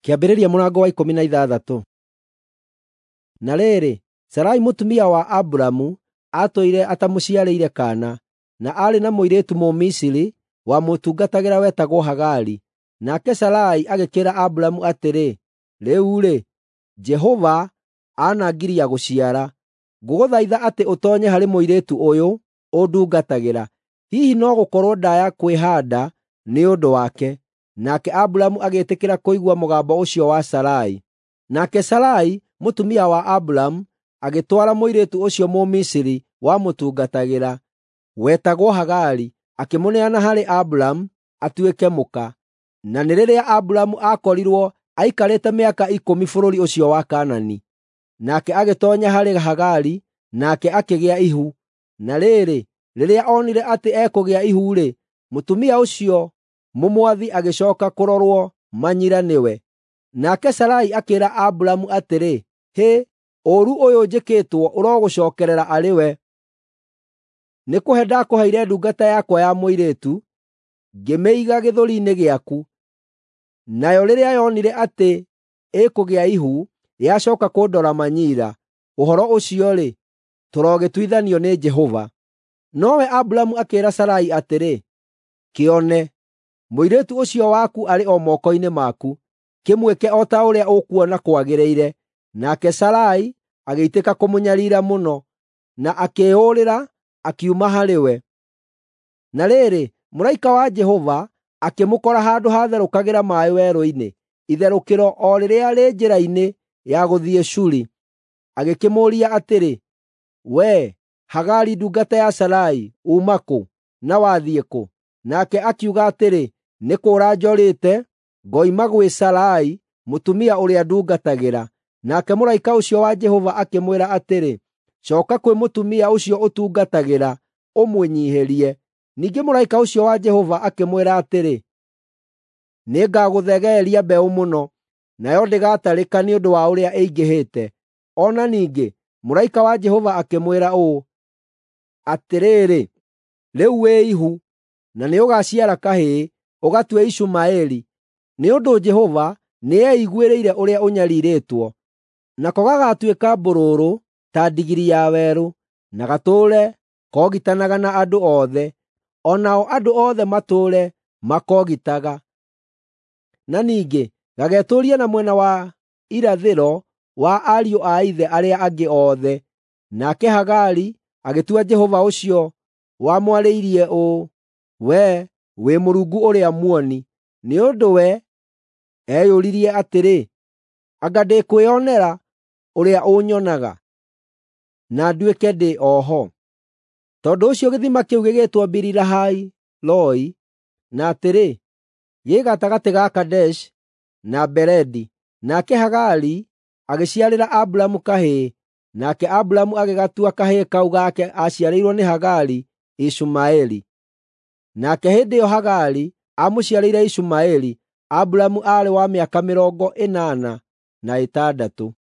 Kĩambĩrĩria mũrango wa 16. Na rĩrĩ, Sarai mũtumia wa Aburamu aatũire atamũciarĩire kaana, na aarĩ na mũirĩtu Mũmisiri wamũtungatagĩra wetagwo Hagari. Nake Sarai agĩkĩĩra Aburamu atĩrĩ, “Rĩu-rĩ, Jehova anangiria gũciara. Ngũgũthaitha atĩ ũtoonye harĩ mũirĩtu ũyũ ũndungatagĩra. Hihi no gũkorwo ndaaya kwĩhaanda nĩ ũndũ wake.” Nake Aburamu agĩĩtĩkĩra kũigua mũgambo ũcio wa Sarai. Nake Sarai mũtumia wa Aburamu agĩtwara mũirĩtu ũcio Mũmisiri wamũtungatagĩra, wetagwo Hagari, akĩmũneana harĩ Aburamu atuĩke mũka. Na nĩ rĩrĩa Aburamu aakorirwo aikarĩte mĩaka 10 bũrũri ũcio wa Kaanani. Nake agĩtoonya harĩ Hagari, nake akĩgĩa ihu. Na rĩrĩ, rĩrĩa onire atĩ ekũgĩa ihu-rĩ, mũtumia ũcio mũmwathi agĩcooka kũrorwo manyira nĩwe. Nake Sarai akĩĩra Aburamu atĩrĩ, “Hĩ, ũũru ũyũ njĩkĩtwo ũrogũcookerera arĩ we! Nĩkũhe ndakũheire ndungata yakwa ya mũirĩtu, ngĩmĩiga gĩthũri-inĩ gĩaku. Nayo rĩrĩa yonire atĩ ĩkũgĩa ihu, yacooka kũndora manyiira. Ũhoro ũcio-rĩ, tũrogĩtuithanio nĩ Jehova.” Nowe Aburamu akĩĩra Sarai atĩrĩ, “Kĩone, mũirĩtu ũcio waku arĩ o moko-inĩ maku. Kĩmwĩke o ta ũrĩa ũkuona kwagĩrĩire.” Nake Sarai agĩitĩka kũmũnyariira mũno, na akĩĩyũrĩra, akiuma harĩ we. Na rĩrĩ, mũraika wa Jehova akĩmũkora handũ haatherũkagĩra maaĩ werũ-inĩ, itherũkĩro o rĩrĩa rĩ njĩra-inĩ ya gũthiĩ Shuri. Agĩkĩmũũria atĩrĩ, “Wee, Hagari ndungata ya Sarai, uuma kũ, na wathiĩ kũ?” Nake akiuga atĩrĩ, “Nĩ kũũra njũrĩte, ngoima gwĩ Sarai mũtumia ũrĩa ndungatagĩra.” Nake mũraika ũcio wa Jehova akĩmwĩra atĩrĩ, “Cooka kwĩ mũtumia ũcio ũtungatagĩra, ũmwĩnyiihĩrie.” Ningĩ mũraika ũcio wa Jehova akĩmwĩra atĩrĩ, “Nĩngagũthegeeria mbeũ mũno, nayo ndĩgatarĩka nĩ ũndũ wa ũrĩa ĩingĩhĩte.” O na ningĩ mũraika wa Jehova akĩmwĩra ũũ, “Atĩrĩrĩ, rĩu wĩ ihu, na nĩũgaciara kahĩĩ, ũgatue Ishumaeli, nĩ ũndũ Jehova nĩeiguĩrĩire ũrĩa ũnyariirĩtwo. Nako gagaatuĩka mbũrũrũ ta ndigiri ya werũ, na gatũũre kogitanaga na andũ othe, o nao andũ othe matũũre makoogitaga. Na ningĩ gagetũũria na mwena wa irathĩro wa ariũ a ithe arĩa angĩ othe.” Nake Hagari agĩtua Jehova ũcio wamwarĩirie ũũ, “Wee wĩ Mũrungu ũrĩa muoni,” nĩ ũndũ we eyũririe atĩrĩ, “Anga ndĩkwĩonera ũrĩa ũnyonaga, na nduĩke ndĩ o ho?” Tondũ ũcio gĩthima kĩu gĩgĩtwo Biri-Lahai-Roi, na atĩrĩ, gĩ gatagatĩ ga Kadeshi na Beredi. Nake Hagari agĩciarĩra Aburamu kahĩĩ, nake Aburamu agĩgatua kahĩĩ kau gake aaciarĩirwo nĩ Hagari Ishumaeli. Nake hĩndĩ ĩyo Hagari aamũciarĩire Ishumaeli, Aburamu aarĩ wa mĩaka 86.